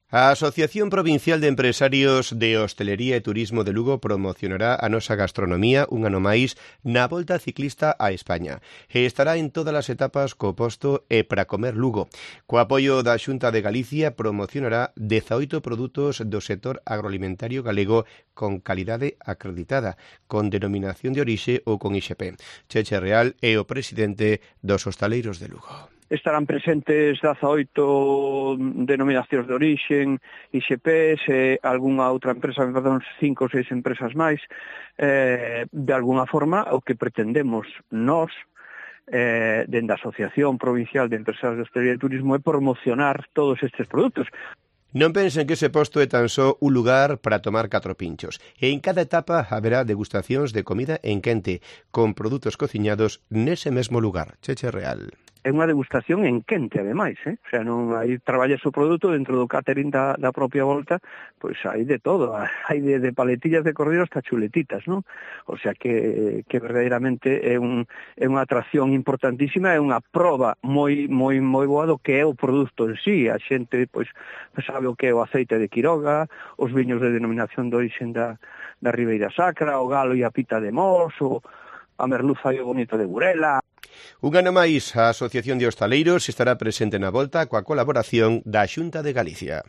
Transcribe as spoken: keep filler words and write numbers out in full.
A Asociación Provincial de Empresarios de Hostelería e Turismo de Lugo promocionará a nosa gastronomía un ano máis na Volta Ciclista a España e estará en todas as etapas co posto E para comer Lugo. Co apoio da Xunta de Galicia promocionará dezaoito produtos do sector agroalimentario galego con calidade acreditada, con denominación de orixe ou con I X P. Cheche Real é o presidente dos hostaleiros de Lugo. Estarán presentes dezaoito denominacións de orixen, I X P e algunha outra empresa, perdón, cinco ou seis empresas máis. Eh, de alguna forma, o que pretendemos nós, eh, dende a Asociación Provincial de Empresarios de Hostelería e Turismo, é promocionar todos estes produtos. Non pensen que ese posto é tan só un lugar para tomar catro pinchos. E en cada etapa haberá degustacións de comida en quente, con produtos cociñados nese mesmo lugar. Cheche Real. É unha degustación en quente, ademais, eh? O sea, non hai traballas o produto dentro do catering da, da propia Volta, pois hai de todo, hai de, de paletillas de cordero hasta chuletitas, non? O sea, que, que verdadeiramente é, un, é unha atracción importantísima, é unha proba moi moi moi boa do que é o produto en sí. A xente, pois, sabe o que é o aceite de Quiroga, os viños de denominación de orixen da, da Ribeira Sacra, o galo e a pita de Mos, o a merluza e o bonito de Burela. Un ano máis, a Asociación de Hostaleiros estará presente na Volta coa colaboración da Xunta de Galicia.